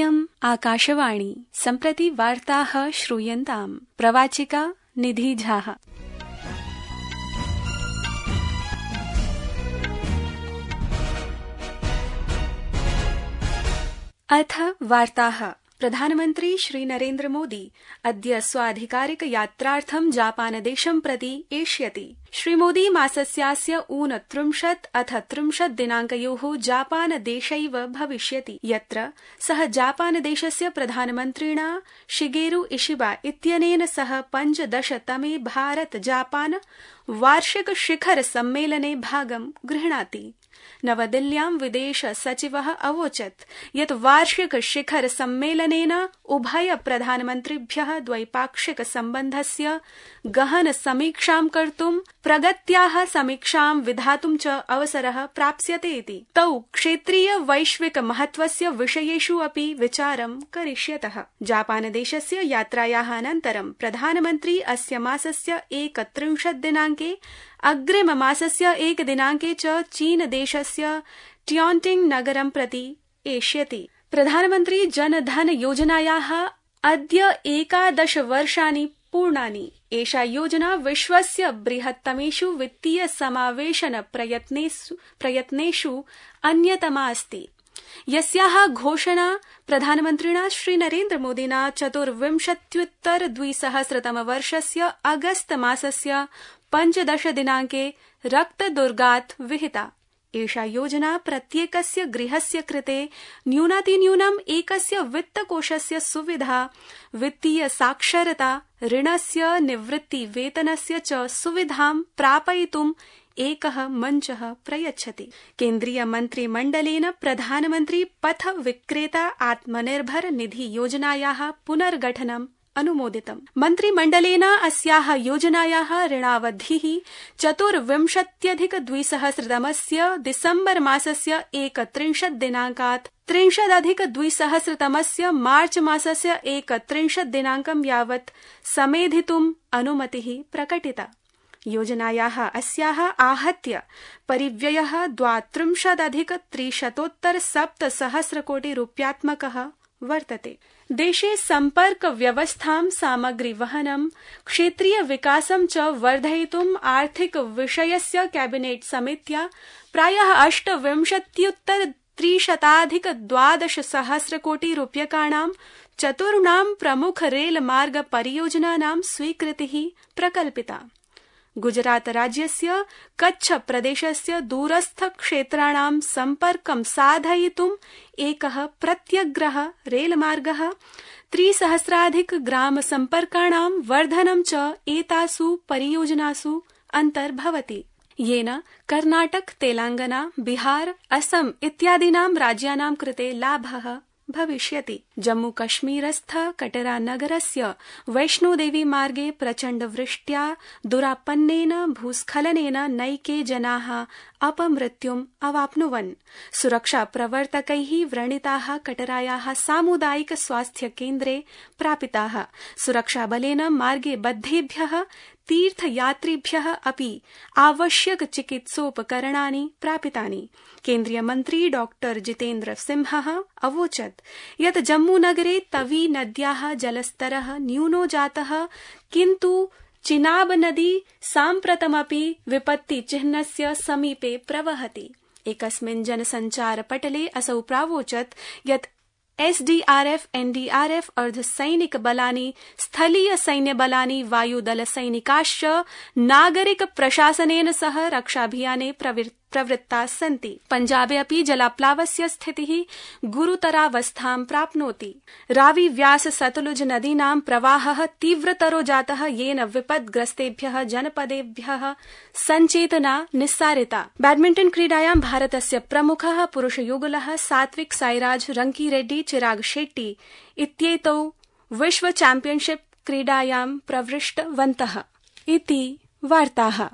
इयम् आकाशवाणी सम्प्रति वार्ताः श्रूयन्ताम्। प्रवाचिका निधि झा। अथ वार्ताः। प्रधानमन्त्री श्री नरेन्द्र मोदी अद्य स्वाधिकारिक यात्रार्थं जापानदेशं प्रति एष्यति। श्रीमोदी मासस्यास्य 29 अथ 30 दिनाङ्कयोः जापानदेशैव भविष्यति, यत्र सः जापानदेशस्य प्रधानमन्त्रिणा शिगेरु इशिबा इत्यनेन सह 15तमे भारत जापान वार्षिक शिखर सम्मेलने भागं गृह्णाति। नवदिल्ल्यां विदेश सचिवः अवोचत् यत् वार्षिक शिखर सम्मेलनेन उभय प्रधानमन्त्रिभ्यः द्वैपाक्षिक सम्बन्धस्य गहन समीक्षां कर्तुं, प्रगत्याः समीक्षां विधातुं च अवसरः प्राप्स्यते इति। तौ क्षेत्रीय वैश्विक महत्वस्य विषयेषु अपि विचारं करिष्यतः। जापानदेशस्य यात्रायाः अनन्तरं प्रधानमन्त्री अस्य मासस्य 31 दिनाङ्के, अग्रिममासस्य 1 दिनाङ्के च चीनदेशस्य ट्योन्टिङ्ग नगरं प्रति एष्यति। प्रधानमन्त्री जनधन योजनायाः अद्य 11 वर्षाणि पूर्णानि। एषा योजना विश्वस्य बृहत्तमेषु वित्तीय समावेशन प्रयत्नेषु अन्यतमा अस्ति, यस्याः घोषणा प्रधानमन्त्रिणा श्री नरेन्द्र मोदिना 24-2000 अगस्त मासस्य 15 दिनाङ्के रक्तदुर्गात् विहिता। एषा योजना प्रत्येकस्य गृहस्य कृते न्यूनातिन्यूनम् एकस्य वित्तकोषस्य सुविधा, वित्तीय साक्षरता, ऋणस्य, निवृत्तिवेतनस्य च सुविधां प्रापयितुम् एकः मञ्चः प्रयच्छति। केन्द्रीय मन्त्रिमण्डलेन प्रधानमन्त्री पथ विक्रेता आत्मनिर्भर निधि योजनायाः पुनर्गठनम् अनुमोदितम्। मन्त्रिमण्डलेन अस्याः योजनायाः ऋणावधिः 24-2000 दिसम्बर मासस्य 31 दिनाङ्कात् 30-2000 मार्च मासस्य 31 दिनाङ्कं यावत् समेधितुम् अनुमतिः प्रकटिता। योजनायाः अस्याः आहत्य परिव्ययः 32,300 कोटि रूप्यात्मकः वर्तते। देशे सम्पर्क व्यवस्थां, सामग्री वहनं, क्षेत्रीय विकासं च वर्धयितुम् आर्थिक विषयस्य कैबिनेट समित्या प्रायः 28,312 कोटि रूप्यकाणां 4 प्रमुख रेलमार्ग परियोजनानां स्वीकृतिः प्रकल्पिता। गुजरात राज्यस्य कच्छ प्रदेशस्य दूरस्थ क्षेत्राणां सम्पर्कं साधयितुम् एकः प्रत्यग्रः रेलमार्गः, 3,000 ग्राम सम्पर्काणां वर्धनं च एतासु परियोजनासु अन्तर्भवति, येन कर्णाटक, तेलंगाना, बिहार, असम इत्यादीनां राज्यानां कृते लाभः भविष्यति। जम्मू कश्मीरस्थ कटरा नगरस्य वैष्णोदेवी मार्गे प्रचण्ड वृष्ट्या दुरापन्नेन भूस्खलनेन नैके जनाः अपमृत्युम् अवाप्नुवन्। सुरक्षा प्रवर्तकैः व्रणिताः कटरायाः सामुदायिक स्वास्थ्य केन्द्रे प्रापिताः। सुरक्षाबलेन मार्गे बद्धेभ्यः तीर्थयात्रिभ्यः अपि आवश्यक चिकित्सोपकरणानि प्रापितानि। केन्द्रीय मन्त्री डॉक्टर जितेन्द्र सिंहः अवोचत् यत् जम्मूनगरे तवी नद्याः जलस्तरः न्यूनो जातः, किन्तु चिनाब नदी साम्प्रतमपि विपत्तिचिह्नस्य समीपे प्रवहति। एकस्मिन् जनसञ्चारपटले असौ प्रावोचत् यत् SDRF, NDRF, अर्धसैनिक बलानि, स्थलीय सैन्यबलानि, वायुदलसैनिकाश्च नागरिक प्रशासनेन सह रक्षाभियाने प्रवृत्ताः सन्ति। पञ्जाबे अपि जलाप्लावस्य स्थितिः गुरुतरावस्थां प्राप्नोति। रावी व्यास सतलुज नदीनां प्रवाहः तीव्रतरो जातः, येन विपद्ग्रस्तेभ्यः जनपदेभ्यः सञ्चेतना निस्सारिता। बैडमिण्टन क्रीडायां भारतस्य प्रमुखः पुरुषयुगलः सात्विक साईराज, रंकीरेड्डी, चिराग शेट्टी इत्येतौ विश्व चैम्पियनशिप क्रीडायां प्रविष्टवन्तः इति वार्ताः।